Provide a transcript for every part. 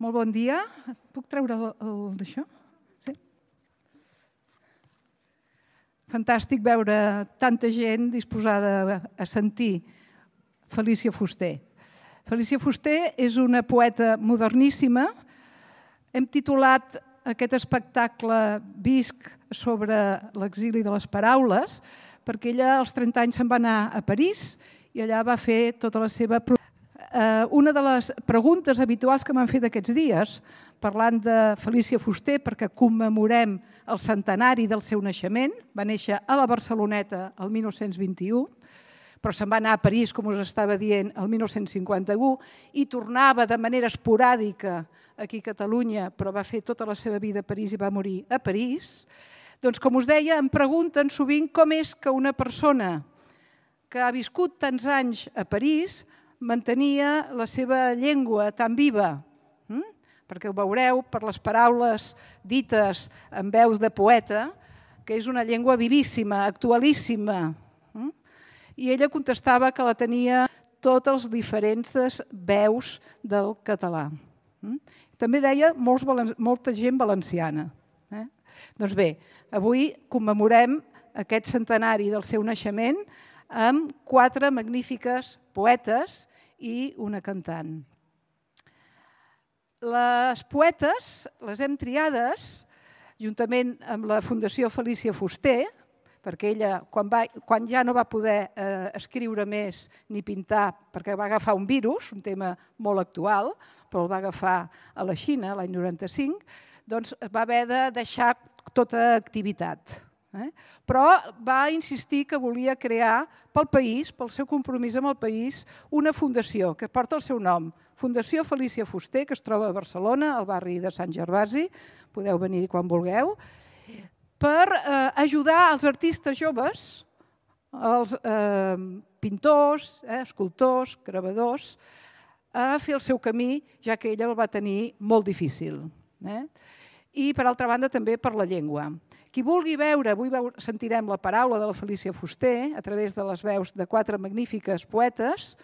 Molt bon dia. Puc treure d'això? Sí? Fantàstic veure tanta gent disposada a sentir Felícia Fuster. Felícia Fuster és una poeta moderníssima. Hem titulat aquest espectacle Visc sobre l'exili de les paraules perquè ella als 30 anys se'n va anar a París i allà va fer tota la seva... Una de les preguntes habituals que m'han fet aquests dies, parlant de Felícia Fuster, perquè commemorem el centenari del seu naixement, va néixer a la Barceloneta el 1921, però se'n va anar a París, com us estava dient, el 1951, i tornava de manera esporàdica aquí a Catalunya, però va fer tota la seva vida a París i va morir a París. Doncs, com us deia, em pregunten sovint com és que una persona que ha viscut tants anys a París mantenia la seva llengua tan viva, perquè ho veureu per les paraules dites en veus de poeta, que és una llengua vivíssima, actualíssima. I ella contestava que la tenia totes les diferents veus del català. També deia molta gent valenciana. Doncs bé, avui commemorem aquest centenari del seu naixement amb 4 magnífiques poetes i una cantant. Les poetes les hem triades juntament amb la Fundació Felícia Fuster, perquè ella, quan ja no va poder escriure més ni pintar, perquè va agafar un virus, un tema molt actual, però el va agafar a la Xina l'any 95, doncs va haver de deixar tota activitat. Però va insistir que volia crear pel país, pel seu compromís amb el país, una fundació que porta el seu nom, Fundació Felícia Fuster, que es troba a Barcelona, al barri de Sant Gervasi, podeu venir quan vulgueu, per ajudar els artistes joves, els pintors, escultors, gravadors, a fer el seu camí, ja que ella el va tenir molt difícil. I, per altra banda, també per la llengua. Qui vulgui veure, avui sentirem la paraula de la Felícia Fuster a través de les veus de 4 magnífiques poetes,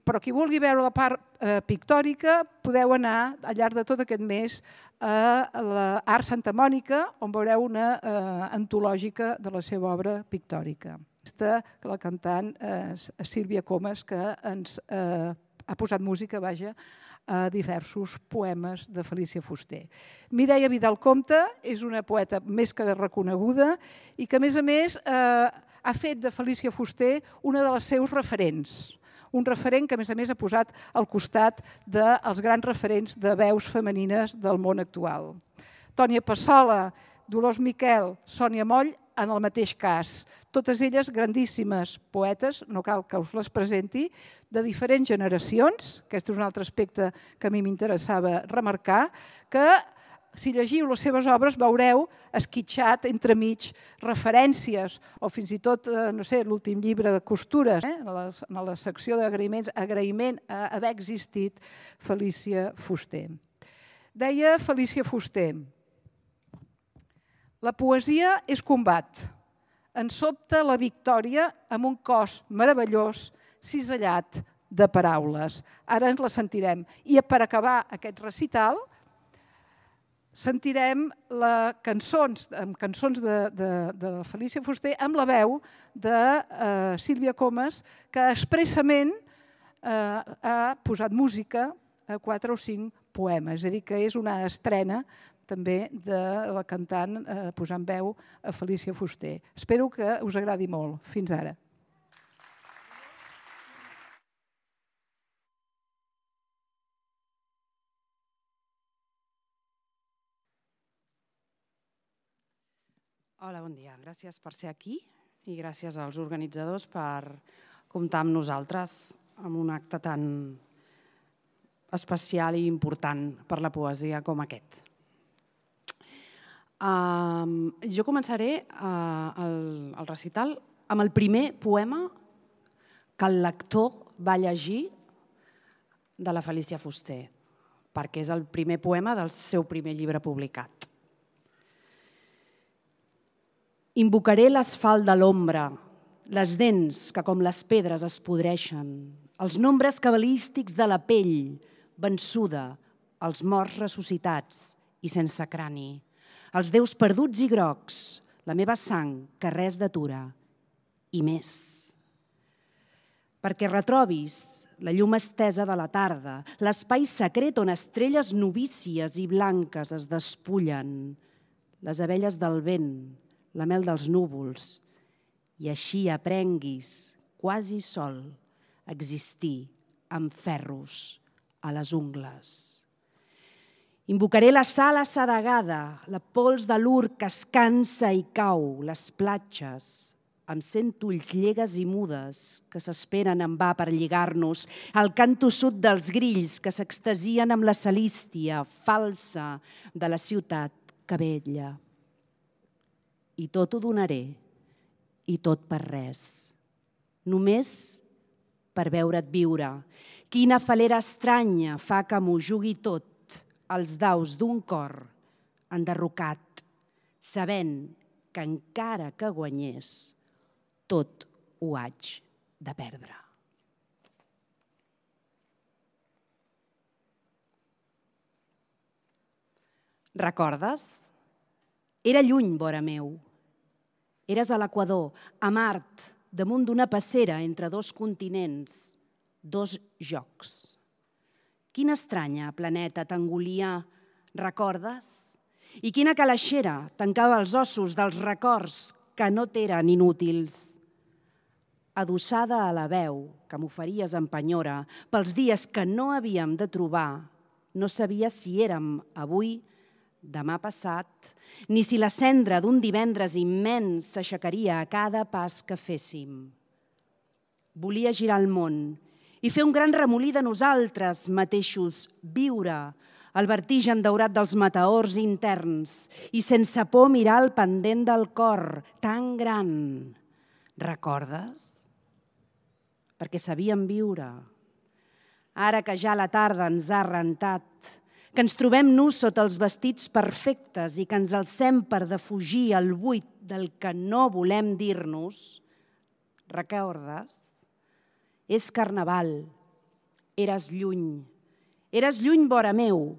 però qui vulgui veure la part pictòrica podeu anar al llarg de tot aquest mes a l'Art Santa Mònica, on veureu una antològica de la seva obra pictòrica. Aquesta, que la cantant Sílvia Comas, que ens ha posat música, vaja, a diversos poemes de Felícia Fuster. Mireia Vidal-Compte és una poeta més que reconeguda i que, a més, ha fet de Felícia Fuster una de les seus referents. Un referent que, a més, ha posat al costat dels grans referents de veus femenines del món actual. Tònia Passola, Dolors Miquel, Sònia Moll, en el mateix cas. Totes elles grandíssimes poetes, no cal que us les presenti, de diferents generacions, aquest és un altre aspecte que a mi m'interessava remarcar, que si llegiu les seves obres veureu esquitxat entremig referències o fins i tot, no sé, l'últim llibre de costures, en la secció d'agraïments, agraïment a haver existit Felícia Fuster. Deia Felícia Fuster: la poesia és combat. Ens sobta la victòria amb un cos meravellós cisellat de paraules. Ara ens la sentirem. I per acabar aquest recital sentirem cançons de Felícia Fuster amb la veu de Sílvia Comas, que expressament ha posat música a 4 o 5 poemes. És a dir, que és una estrena també de la cantant posant veu a Felícia Fuster. Espero que us agradi molt. Fins ara. Hola, bon dia. Gràcies per ser aquí i gràcies als organitzadors per comptar amb nosaltres en un acte tan especial i important per la poesia com aquest. Jo començaré el recital amb el primer poema que el lector va llegir de la Felícia Fuster, perquè és el primer poema del seu primer llibre publicat. Invocaré l'asfalt de l'ombra, les dents que com les pedres es podreixen, els nombres cabalístics de la pell, vençuda, els morts ressuscitats i sense crani, els déus perduts i grocs, la meva sang que res d'atura, i més. Perquè retrobis la llum estesa de la tarda, l'espai secret on estrelles novícies i blanques es despullen, les abelles del vent, la mel dels núvols, i així aprenguis, quasi sol, a existir amb ferros a les ungles. Invocaré la sal assedegada, la pols de l'ur que es cansa i cau, les platges, amb 100 ulls llegues i mudes que s'esperen en va per lligar-nos, el cant tossut dels grills que s'extasien amb la salístia falsa de la ciutat que vetlla. I tot ho donaré, i tot per res, només per veure't viure. Quina falera estranya fa que m'ho jugui tot els daus d'un cor enderrocat, sabent que encara que guanyés, tot ho haig de perdre. Recordes? Era lluny, vora meu. Eres a l'Equador, a Mart, damunt d'una passera entre dos continents, dos jocs. Quina estranya planeta t'engolia, recordes? I quina calaixera tancava els ossos dels records que no t'eren inútils. Adossada a la veu que m'oferies en penyora pels dies que no havíem de trobar, no sabia si érem avui, demà passat, ni si la cendra d'un divendres immens s'aixecaria a cada pas que féssim. Volia girar el món i fer un gran remolí de nosaltres mateixos, viure el vertigen daurat dels meteors interns i sense por mirar el pendent del cor, tan gran. Recordes? Perquè sabíem viure. Ara que ja la tarda ens ha rentat, que ens trobem nus sota els vestits perfectes i que ens alcem per defugir el buit del que no volem dir-nos, recordes? És carnaval, eres lluny vora meu,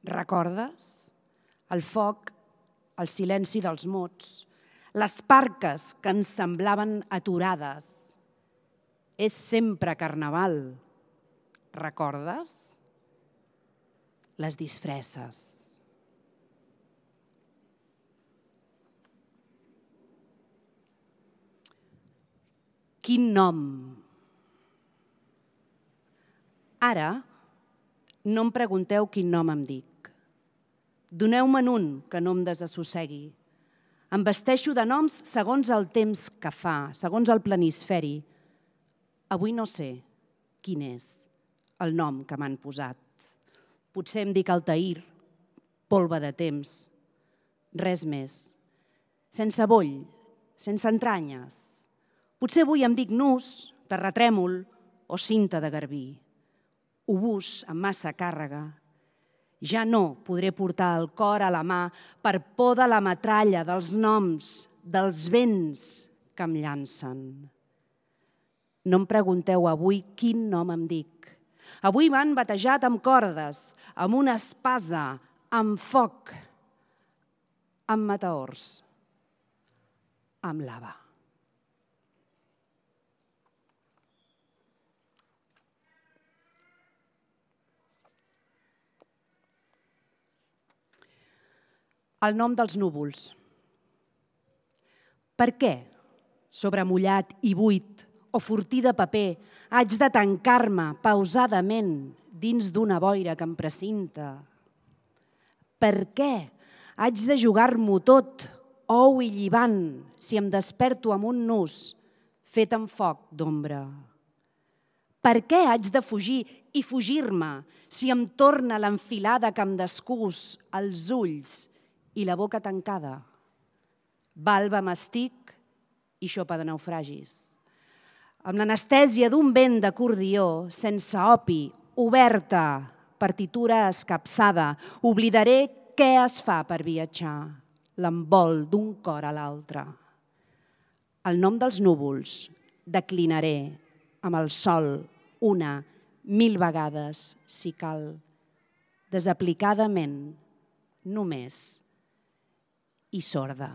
recordes? El foc, el silenci dels mots, les parques que ens semblaven aturades. És sempre carnaval, recordes? Les disfresses. Quin nom! Ara no em pregunteu quin nom em dic. Doneu-me'n un que no em desassossegui. Em vesteixo de noms segons el temps que fa, segons el planisferi. Avui no sé quin és el nom que m'han posat. Potser em dic Altair, polva de temps, res més. Sense boll, sense entranyes. Potser avui em dic nus, terratrèmol o cinta de garbí. Obús amb massa càrrega. Ja no podré portar el cor a la mà per por de la metralla, dels noms, dels vents que em llancen. No em pregunteu avui quin nom em dic. Avui m'han batejat amb cordes, amb una espasa, amb foc, amb meteors, amb lava. El nom dels núvols. Per què, sobremullat i buit o fortí de paper, haig de tancar-me pausadament dins d'una boira que em precinta? Per què haig de jugar-m'ho tot, ou i llivant, si em desperto amb un nus fet amb foc d'ombra? Per què haig de fugir i fugir-me si em torna l'enfilada que em descús els ulls i la boca tancada? Balba mastic i xopa de naufragis. Amb l'anestèsia d'un vent d'acordió, sense opi, oberta, partitura escapçada, oblidaré què es fa per viatjar, l'envol d'un cor a l'altre. El nom dels núvols declinaré amb el sol una, 1000 vegades, si cal. desaplicadament, només i sorda.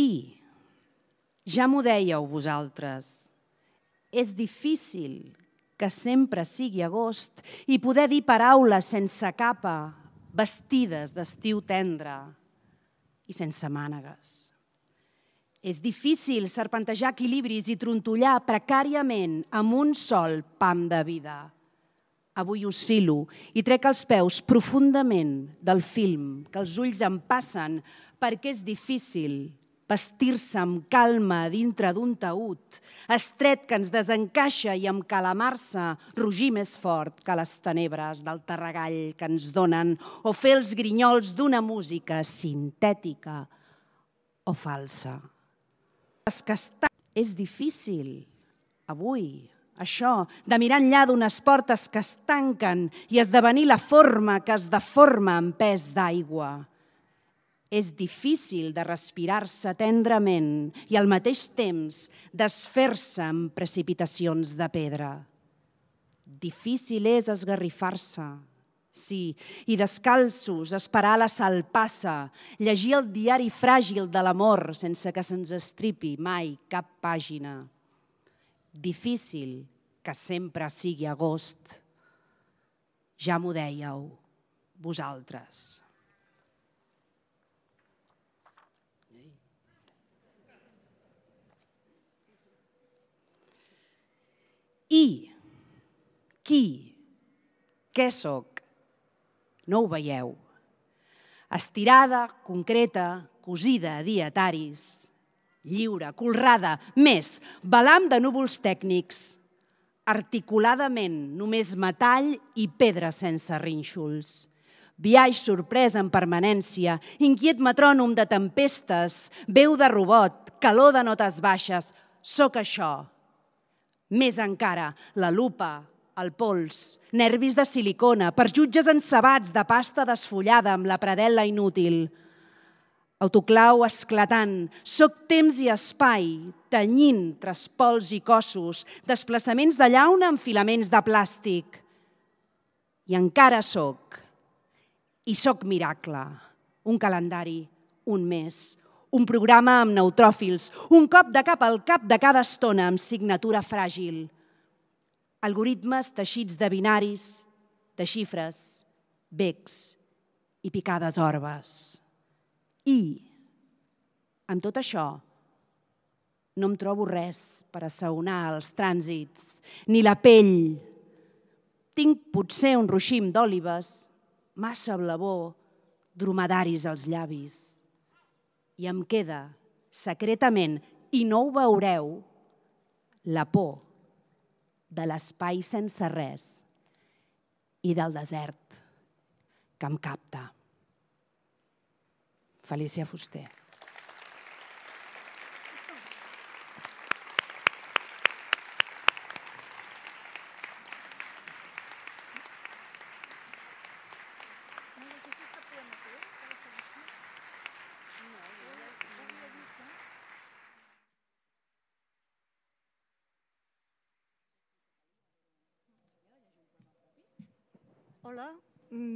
I, ja m'ho dèieu vosaltres, és difícil que sempre sigui agost i poder dir paraules sense capa, vestides d'estiu tendre i sense mànegues. És difícil serpentejar equilibris i trontollar precàriament amb un sol pam de vida. Avui oscil·lo i trec els peus profundament del film que els ulls em passen perquè és difícil vestir-se amb calma dintre d'un taüt, estret que ens desencaixa i amb calamar-se rugir més fort que les tenebres del terregall que ens donen o fer els grinyols d'una música sintètica o falsa. És difícil, avui, això, de mirar enllà d'unes portes que es tanquen i esdevenir la forma que es deforma en pes d'aigua. És difícil de respirar-se tendrament i al mateix temps desfer-se en precipitacions de pedra. Difícil és esgarrifar-se, sí, i descalços esperar la salpassa, llegir el diari fràgil de l'amor sense que se'ns estripi mai cap pàgina. Difícil que sempre sigui agost. Ja m'ho dèieu, vosaltres. I, qui, què sóc? No ho veieu. Estirada, concreta, cosida a dietaris, lliure, colrada, més, balam de núvols tècnics, articuladament només metall i pedra sense rínxols. Biaix sorprès en permanència, inquiet metrònom de tempestes, veu de robot, calor de notes baixes, sóc això. Més encara, la lupa, el pols, nervis de silicona, perjutges encebats de pasta desfullada amb la predel·la inútil. Autoclau esclatant, soc temps i espai, tenyint traspols i cossos, desplaçaments de llauna amb filaments de plàstic. I encara soc. I soc miracle. Un calendari, un mes, un programa amb neutròfils, un cop de cap al cap de cada estona amb signatura fràgil. Algoritmes teixits de binaris, de xifres, becs i picades orbes. I, amb tot això, no em trobo res per assaonar els trànsits, ni la pell. Tinc potser un ruixim d'òlibes, massa blavor, dromedaris als llavis. I em queda, secretament, i no ho veureu, la por de l'espai sense res i del desert que em capta. Felícia Fuster. Hola,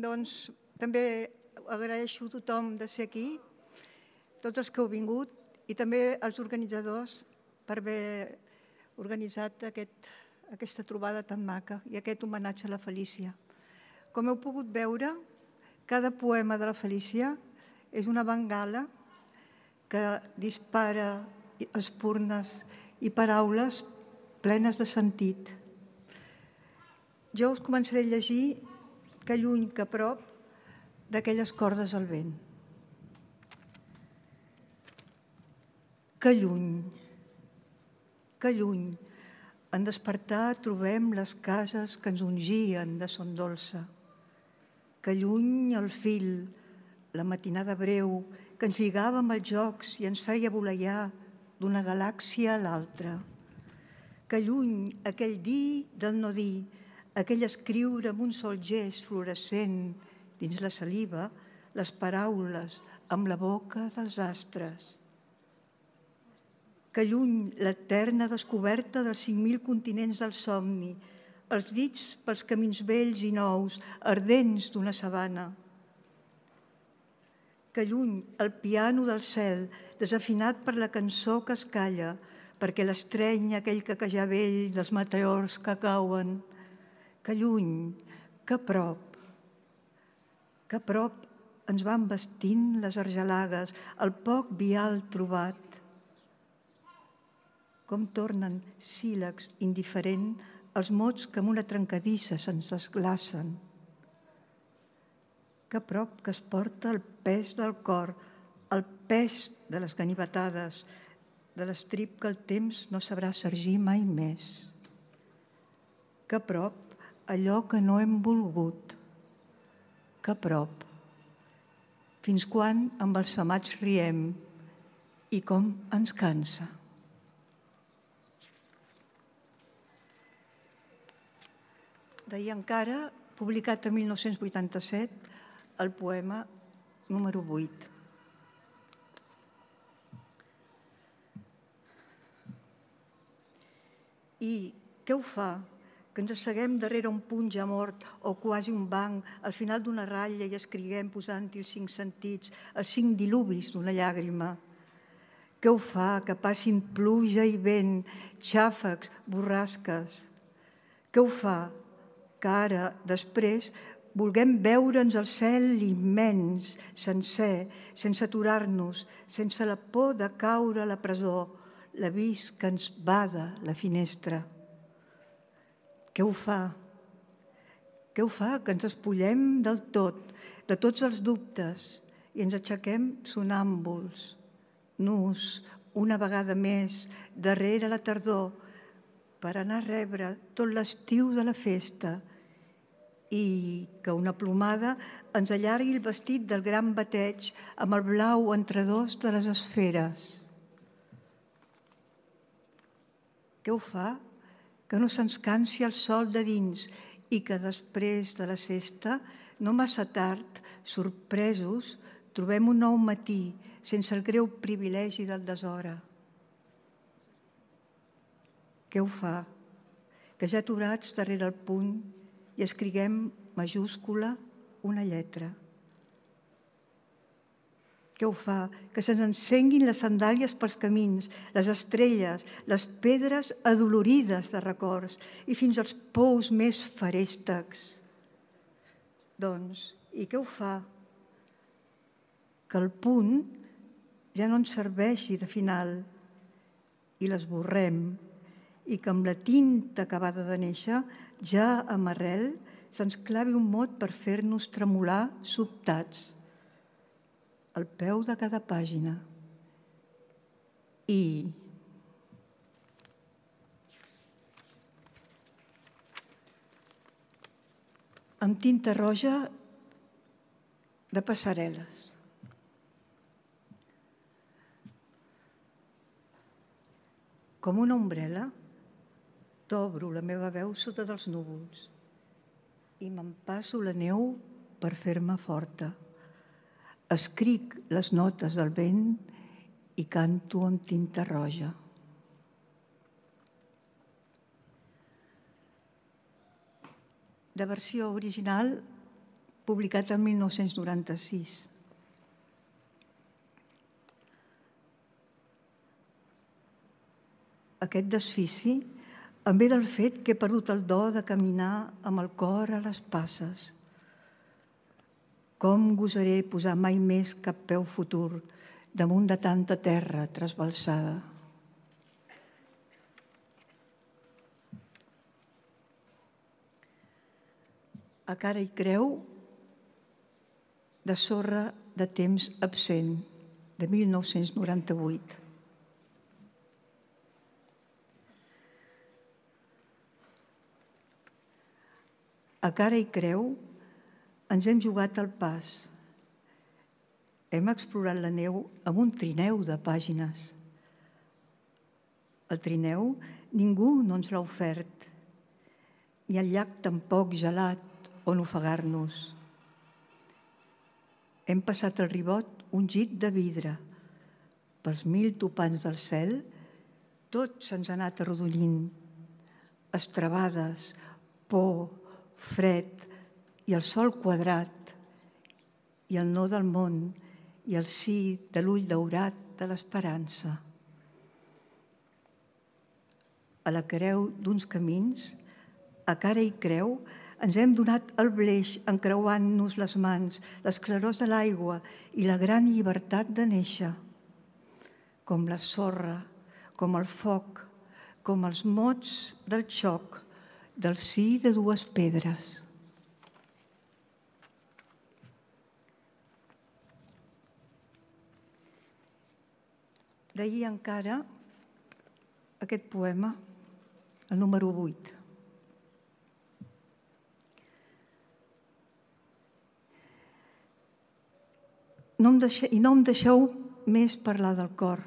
doncs també agraeixo a tothom de ser aquí, tots els que heu vingut i també als organitzadors per haver organitzat aquesta trobada tan maca i aquest homenatge a la Felícia. Com heu pogut veure, cada poema de la Felícia és una bengala que dispara espurnes i paraules plenes de sentit. Jo us començaré a llegir que lluny que a prop d'aquelles cordes al vent. Que lluny, en despertar trobem les cases que ens ungien de son dolça. Que lluny el fil, la matinada breu, que ens lligava amb els jocs i ens feia voleiar d'una galàxia a l'altra. Que lluny aquell dir del no dir, aquell escriure amb un sol gest fluorescent dins la saliva, les paraules amb la boca dels astres. que lluny l'eterna descoberta dels 5.000 continents del somni, els dits pels camins vells i nous, ardents d'una sabana. Que lluny el piano del cel, desafinat per la cançó que es calla, perquè l'estreny aquell caquejar vell dels meteors que cauen. Que lluny, que prop ens van vestint les argelagues, el poc vial trobat. Com tornen, sílex, indiferent, els mots que amb una trencadissa se'ns desglacen. Que prop que es porta el pes del cor, el pes de les ganivetades, de l'estrip que el temps no sabrà sergir mai més. Que prop allò que no hem volgut. Que prop. Fins quan amb els amats riem i com ens cansa. D'ahir encara, publicat en 1987, el poema número 8. I què ho fa? Que ens asseguem darrere un punt ja mort o quasi un banc al final d'una ratlla i escriguem posant-hi els 5 sentits, els 5 dilubis d'una llàgrima. Què ho fa? Que passin pluja i vent, xàfecs, borrasques. Què ho fa? Que ara, després, vulguem veure'ns el cel immens, sencer, sense aturar-nos, sense la por de caure a la presó, l'avís que ens bada la finestra. Què ho fa? Què ho fa? Que ens espollem del tot, de tots els dubtes, i ens aixequem sonàmbuls, nus, una vegada més, darrere la tardor, per anar a rebre tot l'estiu de la festa i que una plomada ens allargui el vestit del gran bateig amb el blau entre dos de les esferes. Què ho fa? Que no se'ns cansi el sol de dins i que després de la sesta, no massa tard, sorpresos, trobem un nou matí sense el greu privilegi del deshora. Què ho fa? Que ja aturats darrere el punt i escriguem majúscula una lletra. Què ho fa? Que se'ns encenguin les sandàlies pels camins, les estrelles, les pedres adolorides de records i fins als pous més feréstecs. Doncs, i què ho fa? Que el punt ja no ens serveixi de final i l'esborrem i que amb la tinta acabada de néixer, ja amb arrel, se'ns clavi un mot per fer-nos tremolar sobtats al peu de cada pàgina. I amb tinta roja de passarel·les. Com una ombrela, t'obro la meva veu sota dels núvols i m'empasso la neu per fer-me forta. Escric les notes del vent i canto amb tinta roja. De versió original, publicat el 1996. Aquest desfici em ve del fet que he perdut el do de caminar amb el cor a les passes. Com gosaré posar mai més cap peu futur damunt de tanta terra trasbalsada? A cara i creu, de sorra de temps absent, de 1998. A cara i creu ens hem jugat el pas. Hem explorat la neu amb un trineu de pàgines. El trineu ningú no ens l'ha ofert, ni el llac tampoc gelat on ofegar-nos. Hem passat el ribot ungit de vidre pels 1000 topants del cel tot se'ns ha anat arrodollint. Estrebades, por, fred i el sol quadrat i el no del món i el sí de l'ull daurat de l'esperança. A la creu d'uns camins, a cara i creu, ens hem donat el bleix encreuant-nos les mans, les clarors de l'aigua i la gran llibertat de néixer. Com la sorra, com el foc, com els mots del xoc, del sí de dues pedres. D'ahir encara aquest poema, el número 8. No em deixeu més parlar del cor.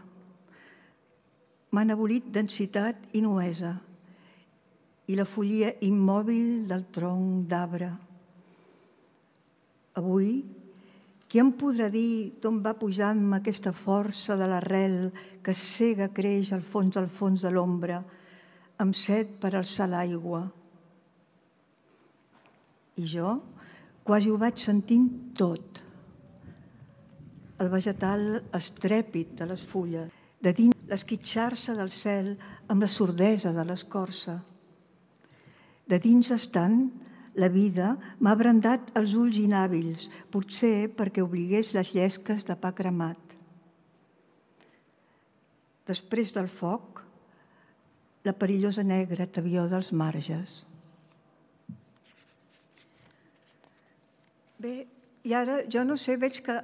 M'han abolit densitat i nuesa i la follia immòbil del tronc d'arbre. Avui, qui em podrà dir d'on va pujant-me aquesta força de l'arrel que cega creix al fons de l'ombra, amb set per alçar l'aigua? I jo quasi ho vaig sentint tot. El vegetal estrèpit de les fulles, de dins l'esquitxar-se del cel amb la sordesa de l'escorça. De dins estant, la vida m'ha brandat els ulls inhàbils, potser perquè obligués les llesques de pa cremat. Després del foc, la perillosa negra tavió dels marges. Bé, i ara jo no sé, veig que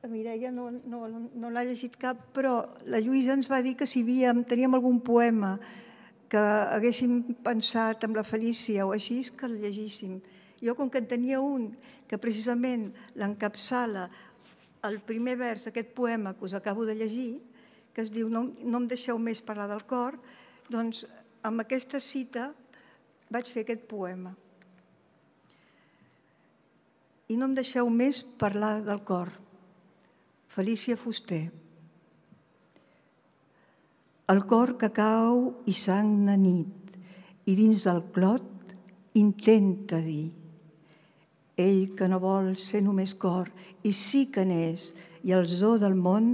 la Mireia no l'ha llegit cap, però la Lluïsa ens va dir que si teníem algun poema que haguéssim pensat amb la Felícia o així, que el llegíssim. Jo, com que en tenia un que precisament l'encapçala el primer vers d'aquest poema que us acabo de llegir, que es diu No em deixeu més parlar del cor, doncs amb aquesta cita vaig fer aquest poema. I no em deixeu més parlar del cor. Felícia Fuster. El cor que cau i sagna nit i dins del clot intenta dir. Ell que no vol ser només cor i sí que n'és i el zoo del món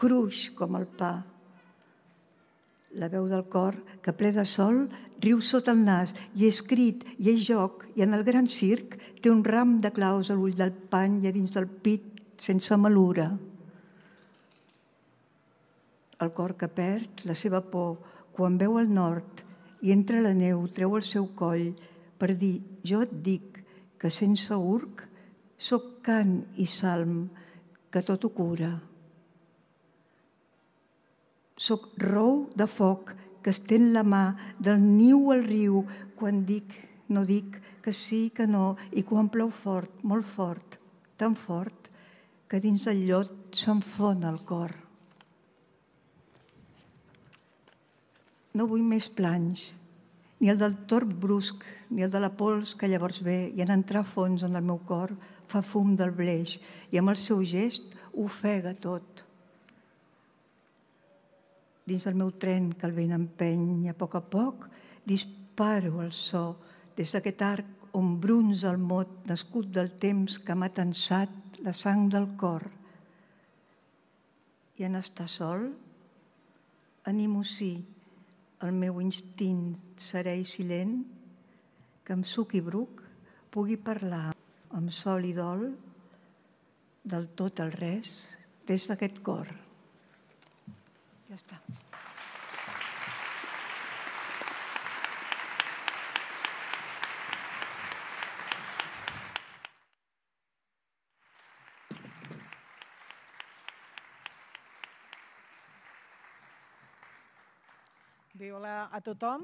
cruix com el pa. La veu del cor que ple de sol riu sota el nas i és crit i és joc i en el gran circ té un ram de claus a l'ull del pany i a dins del pit sense malura. El cor que perd la seva por quan veu el nord i entre la neu treu el seu coll per dir jo et dic que sense urc soc cant i salm que tot ho cura. Soc rou de foc que estén la mà del niu al riu quan dic, no dic, que sí, que no, i quan plou fort, molt fort, tan fort, que dins del llot s'enfona el cor. No vull més planys, ni el del torb brusc, ni el de la pols que llavors ve i en entrar a fons en el meu cor fa fum del bleix i amb el seu gest ofega tot. Dins del meu tren que el vent empeny i a poc disparo el so des d'aquest arc on brunza el mot nascut del temps que m'ha tensat la sang del cor. I en estar sol, animo sí el meu instint serè i silent que amb suc i bruc pugui parlar amb sol i dol del tot al res des d'aquest cor. Ja està. Bé, hola a tothom.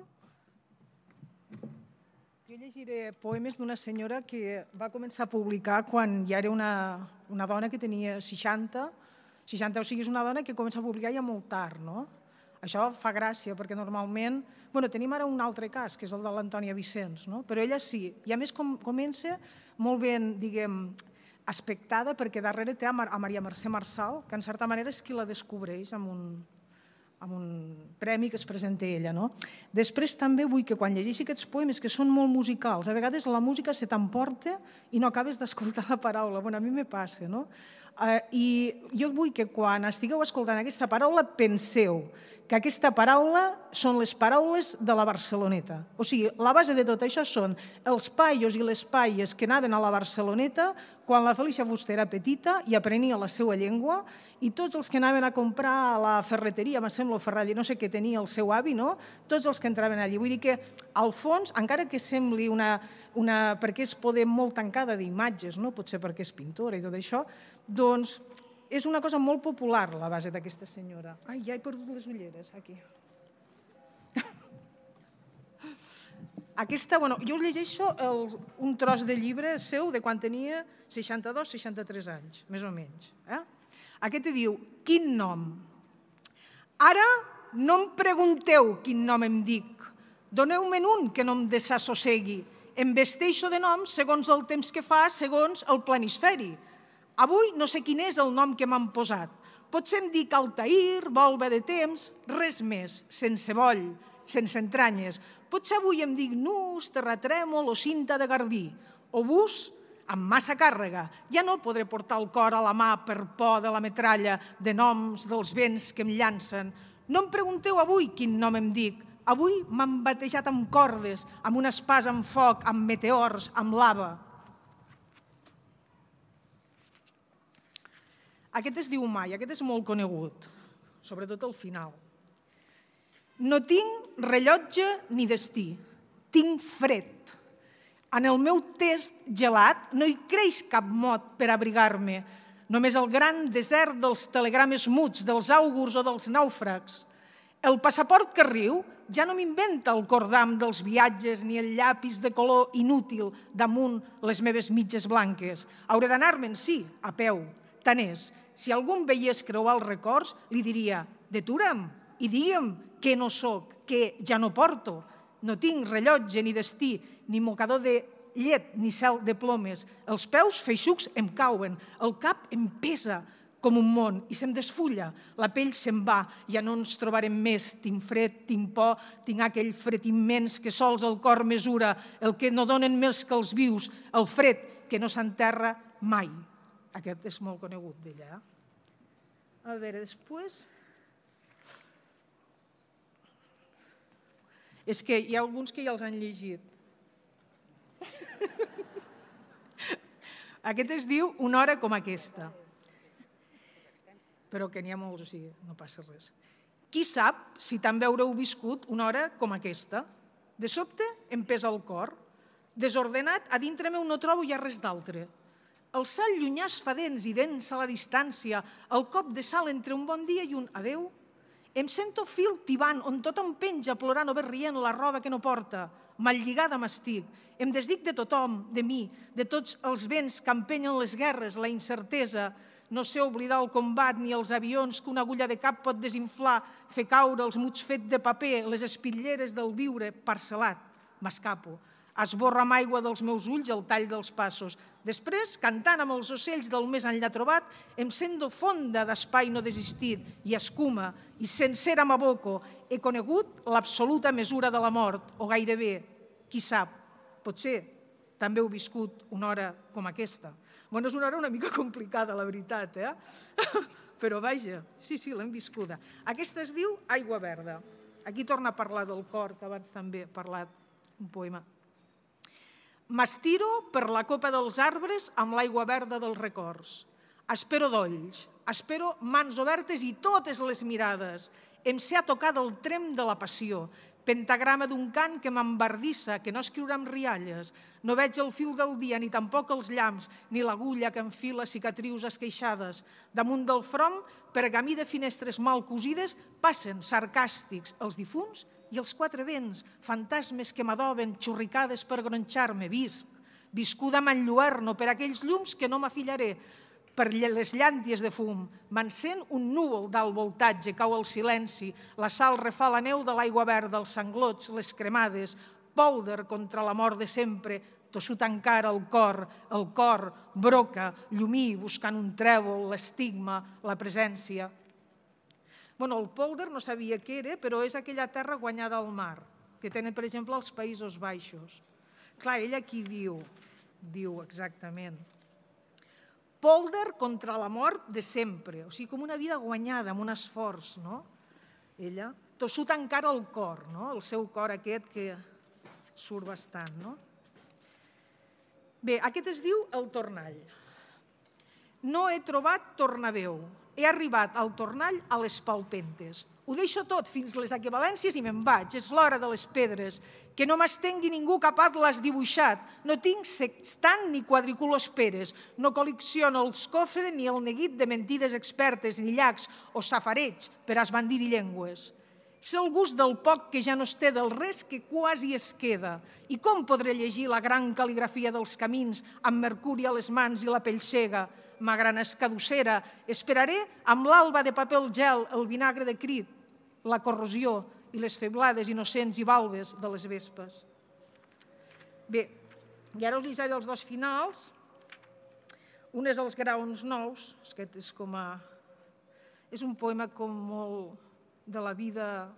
Jo llegiré poemes d'una senyora que va començar a publicar quan ja era una dona que tenia 60, o sigui, és una dona que comença a publicar ja molt tard, no? Això fa gràcia, perquè normalment... Tenim ara un altre cas, que és el de l'Antònia Vicens, no? Però ella sí, i a més comença molt ben, diguem, aspectada, perquè darrere té a Maria Mercè Marçal, que en certa manera és qui la descobreix amb amb un premi que es presenta ella. Després també vull que quan llegeixi aquests poemes, que són molt musicals, a vegades la música se t'emporta i no acabes d'escoltar la paraula. A mi me passa, no? I jo vull que quan estigueu escoltant aquesta paraula penseu que aquesta paraula són les paraules de la Barceloneta. O sigui, la base de tot això són els paios i les paies que anaven a la Barceloneta quan la Felícia Fuster era petita i aprenia la seva llengua, i tots els que anaven a comprar a la ferreteria, me sembla, o ferralla, no sé què tenia el seu avi, no? Tots els que entraven allí. Vull dir que, al fons, encara que sembli perquè és poder molt tancada d'imatges, no? Potser perquè és pintora i tot això, doncs és una cosa molt popular, la base d'aquesta senyora. Ai, ja he perdut les ulleres, aquí. Jo llegeixo un tros de llibre seu de quan tenia 62-63 anys, més o menys. Aquest diu, quin nom? Ara no em pregunteu quin nom em dic. Doneu-me'n un que no em desassossegui. Em vesteixo de nom segons el temps que fa, segons el planisferi. Avui no sé quin és el nom que m'han posat. Potser em dic Altair, volva de temps, res més, sense boll, sense entranyes. Potser avui em dic Nus, Terratrèmol o Cinta de Garbí, o Bus, amb massa càrrega. Ja no podré portar el cor a la mà per por de la metralla, de noms dels vents que em llancen. No em pregunteu avui quin nom em dic. Avui m'han batejat amb cordes, amb un espàs amb foc, amb meteors, amb lava. Aquest es diu Mai, aquest és molt conegut, sobretot al final. No tinc rellotge ni destí, tinc fred. En el meu test gelat no hi creix cap mot per abrigar-me, només el gran desert dels telegrames muts, dels àugurs o dels nàufrags. El passaport que riu ja no m'inventa el cordam dels viatges ni el llapis de color inútil damunt les meves mitges blanques. Hauré d'anar-me'n, sí, a peu. Tant és, si algú em veiés creuar els records, li diria, detura'm i digue'm que no soc, que ja no porto. No tinc rellotge ni destí, ni mocador de llet ni cel de plomes. Els peus feixucs em cauen, el cap em pesa com un món i se'm desfulla. La pell se'n va, ja no ens trobarem més. Tinc fred, tinc por, tinc aquell fred immens que sols el cor mesura, el que no donen més que els vius, el fred que no s'enterra mai. Aquest és molt conegut d'ella. A veure, després... És que hi ha alguns que ja els han llegit. Aquest es diu Una hora com aquesta. Però que n'hi ha molts, o sigui, no passa res. Qui sap si també haureu viscut una hora com aquesta? De sobte em pesa el cor. Desordenat, a dintre meu no trobo ja res d'altre. El sal llunyà es fa dents i dents a la distància, el cop de sal entre un bon dia i un adeu. Em sento fil tibant on tot em penja plorant o bé rient la roba que no porta. Mal lligada m'estic. Em desdic de tothom, de mi, de tots els vents que empenyen les guerres, la incertesa. No sé oblidar el combat ni els avions que una agulla de cap pot desinflar, fer caure els muts fets de paper, les espitlleres del viure parcel·lat. M'escapo. Esborra amb aigua dels meus ulls el tall dels passos. Després, cantant amb els ocells del més enllà trobat, em sento fonda d'espai no desistit i escuma, i sencera m'aboco. He conegut l'absoluta mesura de la mort, o gairebé, qui sap, potser també heu viscut una hora com aquesta. Bueno, és una hora una mica complicada, la veritat, però vaja, sí, l'hem viscuda. Aquesta es diu Aigua Verda. Aquí torna a parlar del cor, que abans també he parlat un poema. M'estiro per la copa dels arbres amb l'aigua verda dels records. Espero dolls, espero mans obertes i totes les mirades. Em sé a tocar del trem de la passió, pentagrama d'un cant que m'embardissa, que no escriurà amb rialles. No veig el fil del dia, ni tampoc els llamps, ni l'agulla que enfila cicatrius esqueixades. Damunt del front, pergamí de finestres mal cosides, passen sarcàstics els difunts i els quatre vents, fantasmes que m'adoben, xurricades per gronxar-me, viscuda amb enlluerno per aquells llums que no m'afillaré, per les llànties de fum. M'encén un núvol d'alt voltatge, cau el silenci, la sal refà la neu de l'aigua verda, els sanglots, les cremades, pòlder contra la mort de sempre, tossut encara el cor broca, llumí, buscant un trèvol, l'estigma, la presència. El pòlder no sabia què era, però és aquella terra guanyada al mar, que tenen, per exemple, els Països Baixos. Clar, ella aquí diu exactament, pòlder contra la mort de sempre, o sigui, com una vida guanyada, amb un esforç, no? Ella, tossut encara el cor, no? El seu cor aquest que surt bastant, no? Bé, aquest es diu el tornall. No he trobat tornaveu, he arribat al tornall a les palpentes. Ho deixo tot fins les equivalències i me'n vaig, és l'hora de les pedres, que no m'estengui ningú capat l'has dibuixat, no tinc sextant ni quadriculosperes, no col·lecciono els cofres ni el neguit de mentides expertes, ni llacs o safareig per esbandir-hi llengües. És el gust del poc que ja no es té del res que quasi es queda. I com podré llegir la gran cal·ligrafia dels camins amb mercuri a les mans i la pell cega? Ma gran escadussera, esperaré amb l'alba de paper al gel, el vinagre de crit, la corrosió i les feblades innocents i balbes de les vespes. Bé, i ara us llegiré els dos finals. Un és els graons nous, aquest és com a... És un poema com molt de la vida,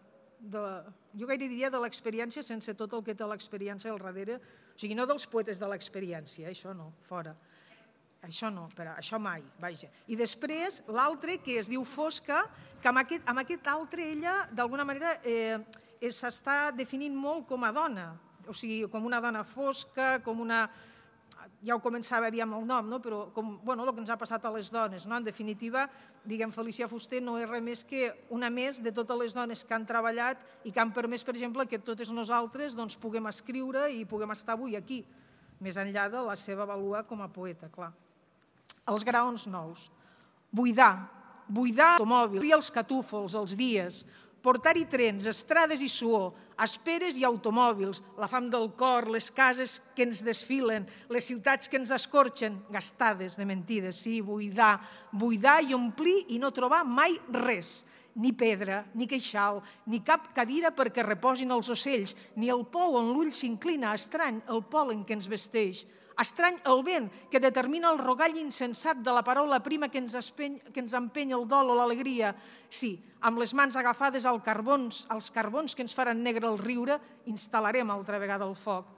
jo gaire diria de l'experiència sense tot el que té l'experiència al darrere, o sigui, no dels poetes de l'experiència, això no, fora. Això no, però això mai, vaja. I després l'altre, que es diu Fosca, que amb aquest altre ella, d'alguna manera, s'està definint molt com a dona, o sigui, com una dona fosca, com una... Ja ho començava a dir amb el nom, no? Però com el que ens ha passat a les dones. En definitiva, diguem, Felícia Fuster no és res més que una més de totes les dones que han treballat i que han permès, per exemple, que totes nosaltres puguem escriure i puguem estar avui aquí, més enllà de la seva vàlua com a poeta, clar. Els graons nous. Buidar automòbils, obrir els catúfols, els dies, portar-hi trens, estrades i suor, esperes i automòbils, la fam del cor, les cases que ens desfilen, les ciutats que ens escorxen, gastades de mentides, sí, buidar i omplir i no trobar mai res, ni pedra, ni queixal, ni cap cadira perquè reposin els ocells, ni el pou on l'ull s'inclina, estrany el pol·len que ens vesteix, estrany el vent que determina el rogall insensat de la paraula prima que ens empeny el dol o l'alegria. Sí, amb les mans agafades als carbons que ens faran negre el riure, instal·larem altra vegada el foc,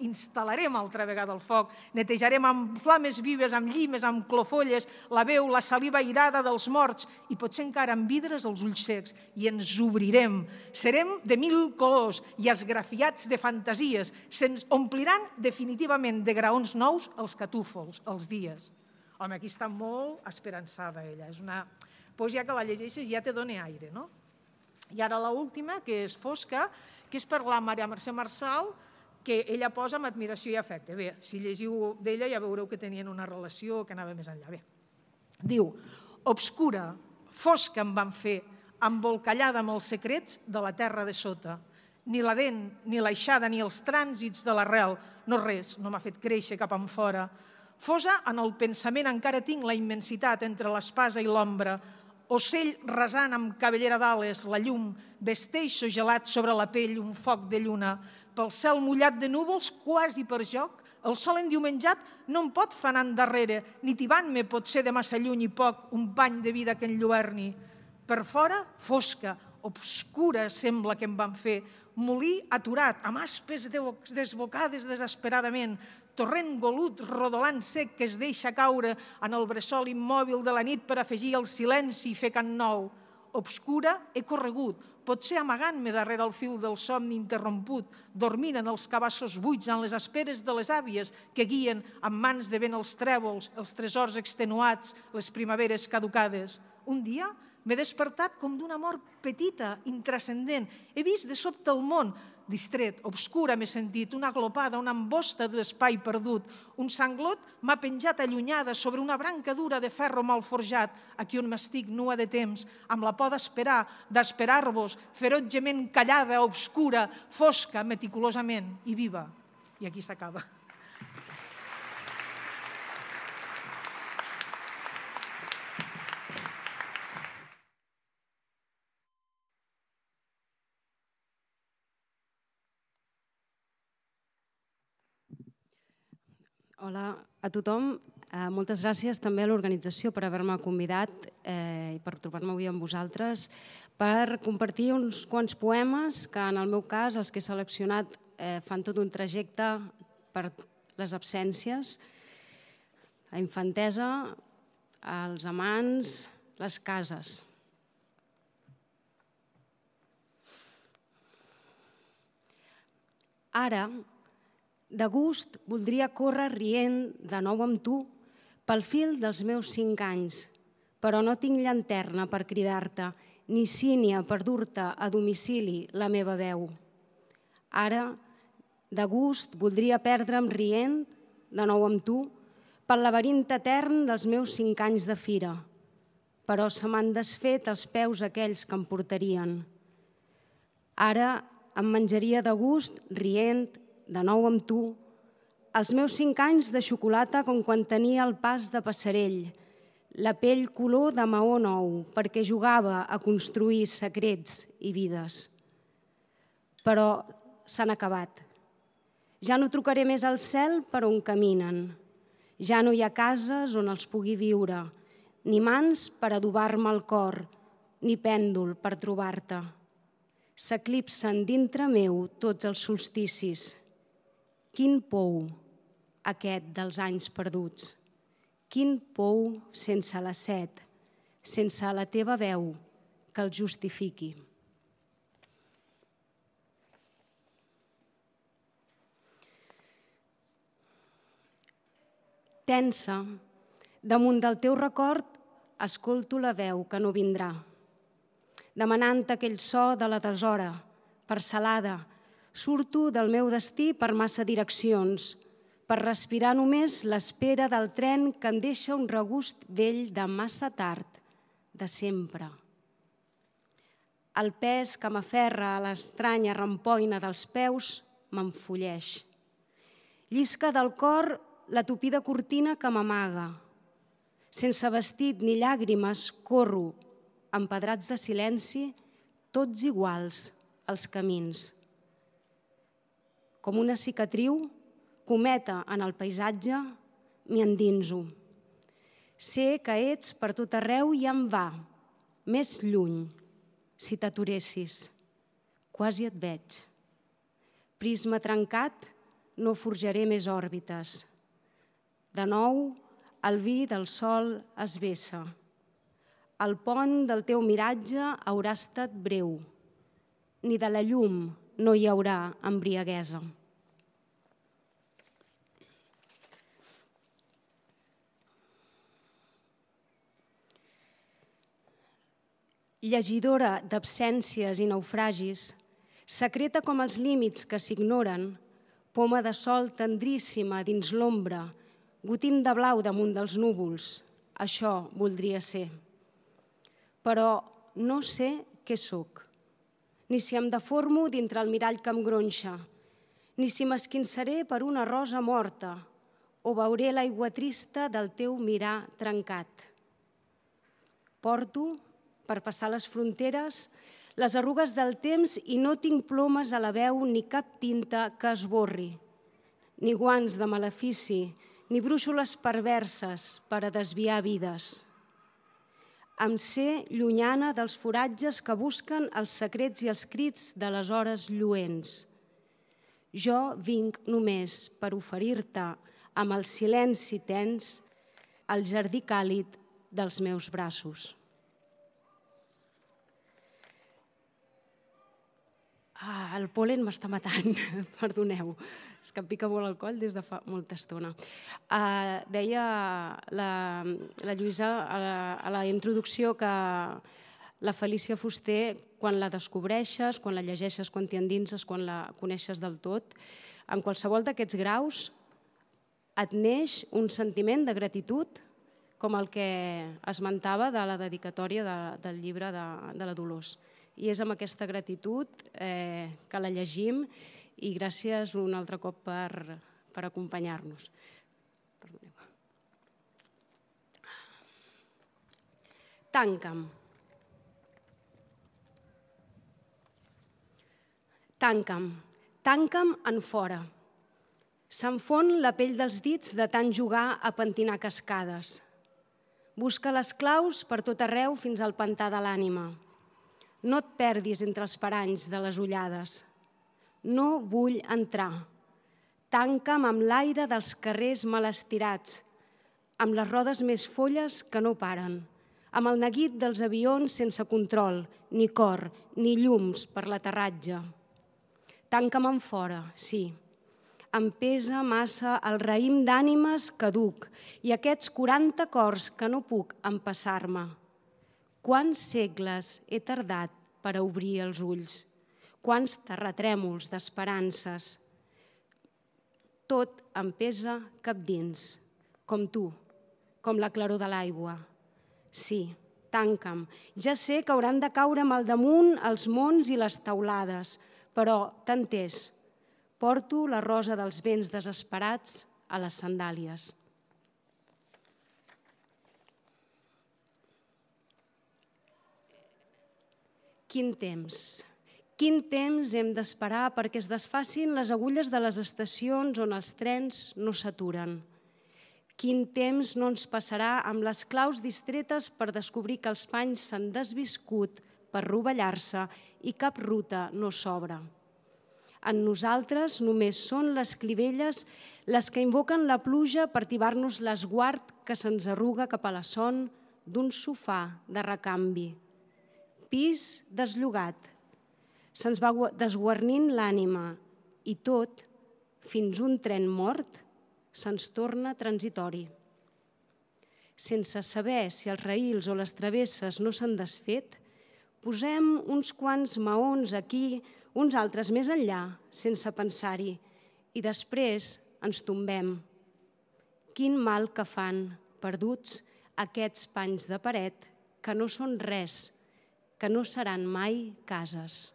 netejarem amb flames vives, amb llimes, amb clofolles, la veu, la saliva airada dels morts i potser encara amb vidres els ulls secs i ens obrirem. Serem de 1000 colors i esgrafiats de fantasies. Se'ns ompliran definitivament de graons nous els catúfols, els dies. Home, aquí està molt esperançada ella. És una poesia que la llegeixes i ja te dona aire, no? I ara l'última, que és Fosca, que és per la Maria Mercè Marçal, que ella posa amb admiració i afecte. Bé, si llegiu d'ella ja veureu que tenien una relació que anava més enllà. Bé, diu, obscura, fosca em van fer, embolcallada amb els secrets de la terra de sota. Ni la dent, ni l'aixada, ni els trànsits de l'arrel, no res, no m'ha fet créixer cap enfora. Fosa en el pensament encara tinc la immensitat entre l'espasa i l'ombra, ocell rasant amb cabellera d'ales, la llum, vesteixo gelat sobre la pell, un foc de lluna, pel cel mullat de núvols, quasi per joc, el sol endiumenjat no em pot fer anar endarrere, ni tibant-me pot ser de massa lluny i poc un pany de vida que enlluerni. Per fora, fosca, obscura sembla que em van fer, molí aturat, amb aspes desbocades desesperadament, torrent golut, rodolant sec que es deixa caure en el bressol immòbil de la nit per afegir el silenci i fer cant nou. Obscura he corregut, potser amagant-me darrere el fil del somni interromput, dormint en els cabassos buits en les esperes de les àvies que guien amb mans de vent els trèvols, els tresors extenuats, les primaveres caducades. Un dia m'he despertat com d'una mort petita, intrascendent. He vist de sobte el món, distret, obscura m'he sentit, una glopada, una embosta d'espai perdut. Un sanglot m'ha penjat allunyada sobre una branca dura de ferro mal forjat, aquí on m'estic nua de temps, amb la por d'esperar-vos, ferotgement callada, obscura, fosca, meticulosament i viva. I aquí s'acaba. Hola a tothom. Moltes gràcies també a l'organització per haver-me convidat i per trobar-me avui amb vosaltres per compartir uns quants poemes que, en el meu cas, els que he seleccionat fan tot un trajecte per les absències, la infantesa, els amants, les cases. Ara, de gust, voldria córrer rient de nou amb tu pel fil dels meus 5 anys, però no tinc llanterna per cridar-te, ni sínia per dur-te a domicili la meva veu. Ara, de gust, voldria perdre'm rient de nou amb tu pel laberint etern dels meus 5 anys de fira, però se m'han desfet els peus aquells que em portarien. Ara em menjaria de gust, rient, de nou amb tu, els meus 5 anys de xocolata com quan tenia el pas de passarell, la pell color de maó nou, perquè jugava a construir secrets i vides. Però s'han acabat. Ja no trucaré més al cel per on caminen. Ja no hi ha cases on els pugui viure, ni mans per adobar-me el cor, ni pèndol per trobar-te. S'eclipsen dintre meu tots els solsticis. Quin pou, aquest dels anys perduts. Quin pou sense la set, sense la teva veu que el justifiqui. Tensa, damunt del teu record, escolto la veu que no vindrà, demanant aquell so de la deshora, parcel·lada. Surto del meu destí per massa direccions, per respirar només l'espera del tren que em deixa un regust vell de massa tard, de sempre. El pes que m'aferra a l'estranya rampoina dels peus m'enfolleix. Llisca del cor la tupida cortina que m'amaga. Sense vestit ni llàgrimes corro, empedrats de silenci, tots iguals als camins. Com una cicatriu, cometa en el paisatge, m'hi endinso. Sé que ets per tot arreu i em va, més lluny, si t'aturessis. Quasi et veig. Prisma trencat, no forjaré més òrbites. De nou, el vi del sol es vessa. El pont del teu miratge haurà estat breu. Ni de la llum no hi haurà embriaguesa. Llegidora d'absències i naufragis, secreta com els límits que s'ignoren, poma de sol tendríssima dins l'ombra, gotim de blau damunt dels núvols, això voldria ser. Però no sé què sóc, ni si em deformo dintre el mirall que em gronxa, ni si m'esquinçaré per una rosa morta o veuré l'aigua trista del teu mirar trencat. Porto, per passar les fronteres, les arrugues del temps i no tinc plomes a la veu ni cap tinta que esborri, ni guants de malefici, ni brúixoles perverses per a desviar vides. Em sé llunyana dels foratges que busquen els secrets i els crits de les hores lluents. Jo vinc només per oferir-te amb el silenci tens el jardí càlid dels meus braços. El pol·len m'està matant, perdoneu. És que em pica molt el coll des de fa molta estona. Deia la Lluïsa a la introducció que la Felícia Fuster, quan la descobreixes, quan la llegeixes, quan t'hi endinses, quan la coneixes del tot, en qualsevol d'aquests graus et neix un sentiment de gratitud com el que esmentava de la dedicatòria del llibre de la Dolors. I és amb aquesta gratitud que la llegim i gràcies un altre cop per acompanyar-nos. Tanca'm. Tanca'm en fora. S'enfon la pell dels dits de tant jugar a pentinar cascades. Busca les claus per tot arreu fins al pantà de l'ànima. No et perdis entre els paranys de les ullades. No vull entrar. Tanca'm amb l'aire dels carrers mal estirats, amb les rodes més folles que no paren, amb el neguit dels avions sense control, ni cor, ni llums per l'aterratge. Tanca'm en fora, sí. Em pesa massa el raïm d'ànimes que duc i aquests 40 cors que no puc empassar-me. Quants segles he tardat per a obrir els ulls? Quants terratrèmols d'esperances? Tot em pesa cap dins, com tu, com la claror de l'aigua. Sí, tanca'm. Ja sé que hauran de caure'm al damunt els mons i les teulades, però tant és. Porto la rosa dels vents desesperats a les sandàlies. Quin temps hem d'esperar perquè es desfacin les agulles de les estacions on els trens no s'aturen. Quin temps no ens passarà amb les claus distretes per descobrir que els panys s'han desviscut per rovellar-se i cap ruta no s'obre. En nosaltres només són les clivelles les que invoquen la pluja per tibar-nos l'esguard que se'ns arruga cap a la son d'un sofà de recanvi. Pis desllogat. Se'ns va desguarnint l'ànima i tot, fins un tren mort, se'ns torna transitori. Sense saber si els raïls o les travesses no s'han desfet, posem uns quants maons aquí, uns altres més enllà, sense pensar-hi, i després ens tombem. Quin mal que fan, perduts, aquests panys de paret que no són res, que no seran mai cases.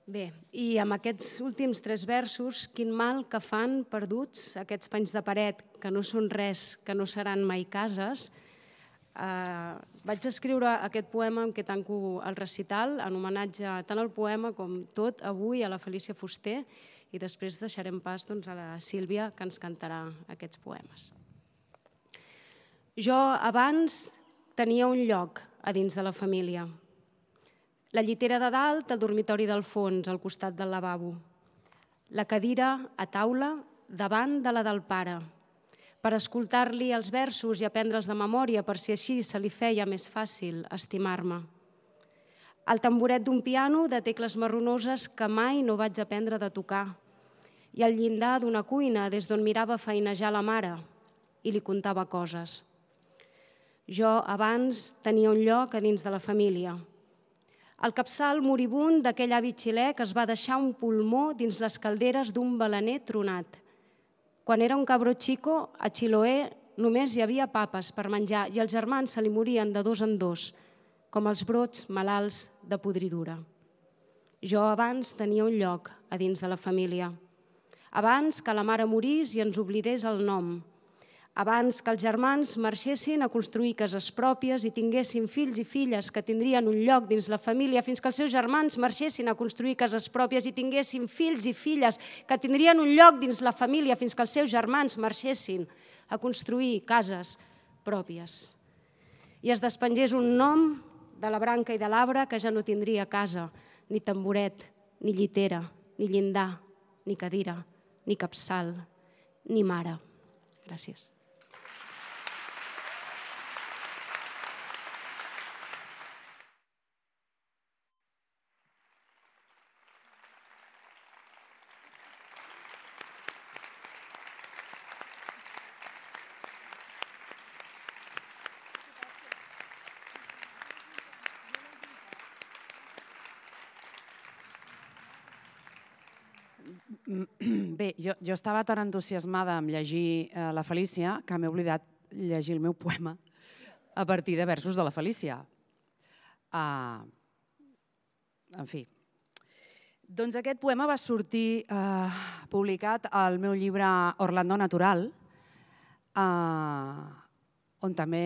Bé, i amb aquests últims 3 versos, quin mal que fan perduts aquests panys de paret que no són res, que no seran mai cases, vaig escriure aquest poema amb què tanco el recital, en homenatge tant al poema com tot avui a la Felícia Fuster, i després deixarem pas a la Sílvia, que ens cantarà aquests poemes. Jo abans tenia un lloc a dins de la família. La llitera de dalt, el dormitori del fons, al costat del lavabo. La cadira a taula davant de la del pare, per escoltar-li els versos i aprendre'ls de memòria, per si així se li feia més fàcil estimar-me. El tamboret d'un piano de tecles marronoses que mai no vaig aprendre de tocar, i el llindar d'una cuina des d'on mirava feinejar la mare i li contava coses. Jo abans tenia un lloc a dins de la família. El capçal moribund d'aquell avi xilè que es va deixar un pulmó dins les calderes d'un balaner tronat. Quan era un cabró xico, a Chiloé només hi havia papes per menjar i els germans se li morien de 2 en 2, com els brots malalts de podridura. Jo abans tenia un lloc a dins de la família. Abans que la mare morís i ens oblidés el nom. Abans que els germans marxessin a construir cases pròpies i tinguessin fills i filles que tindrien un lloc dins la família, fins que els seus germans marxessin a construir cases pròpies i tinguessin fills i filles que tindrien un lloc dins la família, fins que els seus germans marxessin a construir cases pròpies. I es despengés un nom de la branca i de l'arbre que ja no tindria casa, ni tamboret, ni llitera, ni llindar, ni cadira, ni capçal, ni mare. Gràcies. Bé, jo estava tan entusiasmada amb llegir la Felícia que m'he oblidat llegir el meu poema a partir de versos de la Felícia. En fi. Doncs aquest poema va sortir publicat al meu llibre Orlando Natural, on també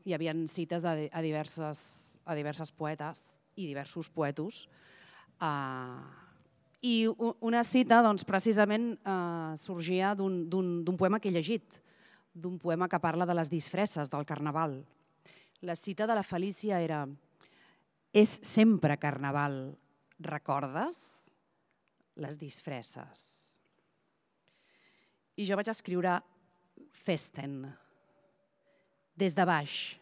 hi havia cites a diverses poetes i diversos poetos, I una cita, doncs, precisament, sorgia d'un poema que he llegit, d'un poema que parla de les disfresses del Carnaval. La cita de la Felícia era: és sempre Carnaval, recordes les disfresses? I jo vaig escriure Festen, des de baix.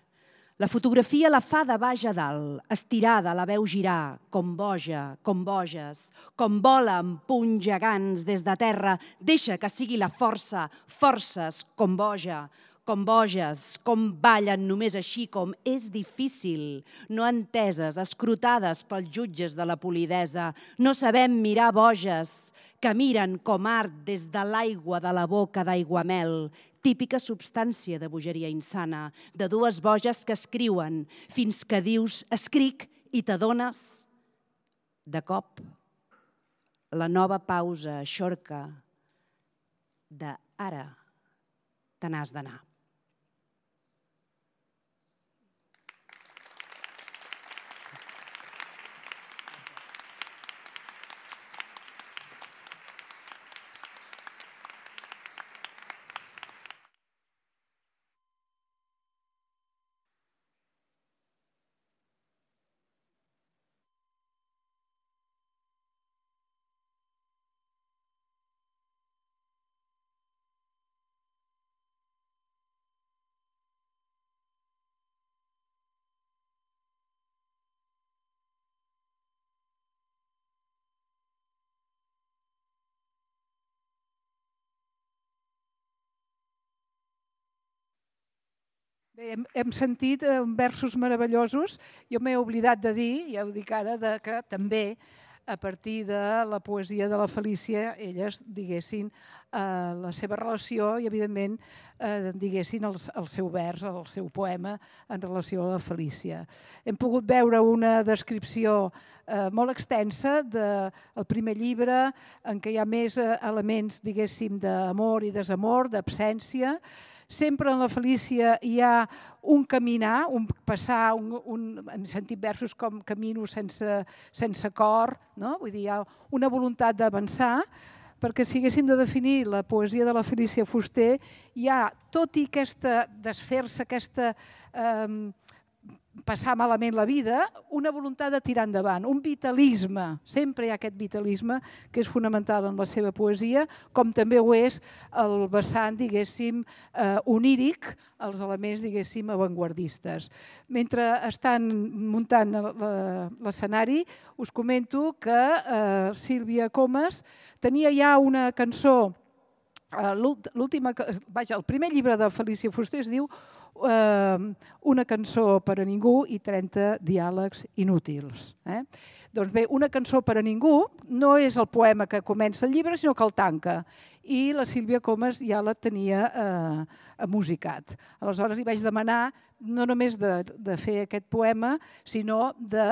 La fotografia la fa de baix a dalt, estirada, la veu girar, com boja, com boges, com vola amb punys gegants des de terra. Deixa que sigui la força, forces, com boja, com boges, com ballen només així, com és difícil, no enteses, escrutades pels jutges de la polidesa. No sabem mirar boges, que miren com art des de l'aigua de la boca d'aiguamel, típica substància de bogeria insana, de dues boges que escriuen, fins que dius escric i t'adones. De cop, la nova pausa eixorca de ara te n'has d'anar. Bé, hem sentit versos meravellosos. Jo m'he oblidat de dir, ja ho dic ara, que també a partir de la poesia de la Felícia elles diguessin la seva relació i, evidentment, diguessin el seu vers, el seu poema en relació a la Felícia. Hem pogut veure una descripció molt extensa del primer llibre, en què hi ha més elements, diguéssim, d'amor i desamor, d'absència. Sempre en la Felícia hi ha un caminar, un passar, hem sentit versos com camino sense cor, no? Vull dir, hi ha una voluntat d'avançar, perquè si haguéssim de definir la poesia de la Felícia Fuster, hi ha, tot i aquesta desfer-se, aquesta passar malament la vida, una voluntat de tirar endavant, un vitalisme. Sempre hi ha aquest vitalisme que és fonamental en la seva poesia, com també ho és el vessant, diguéssim, oníric, els elements, diguéssim, avantguardistes. Mentre estan muntant l'escenari, us comento que Sílvia Comas tenia ja una cançó, el primer llibre de Felícia Fuster es diu Una cançó per a ningú i 30 diàlegs inútils. Doncs bé, Una cançó per a ningú no és el poema que comença el llibre, sinó que el tanca. I la Sílvia Comas ja la tenia musicat. Aleshores li vaig demanar no només de fer aquest poema, sinó de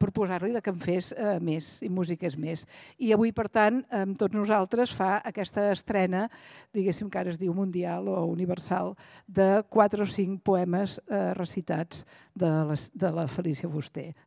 proposar-li que en fes més i musiqués més. I avui, per tant, amb tots nosaltres fa aquesta estrena, diguéssim que ara es diu mundial o universal, de 4 o 5 poemes recitats de la Felícia Fuster.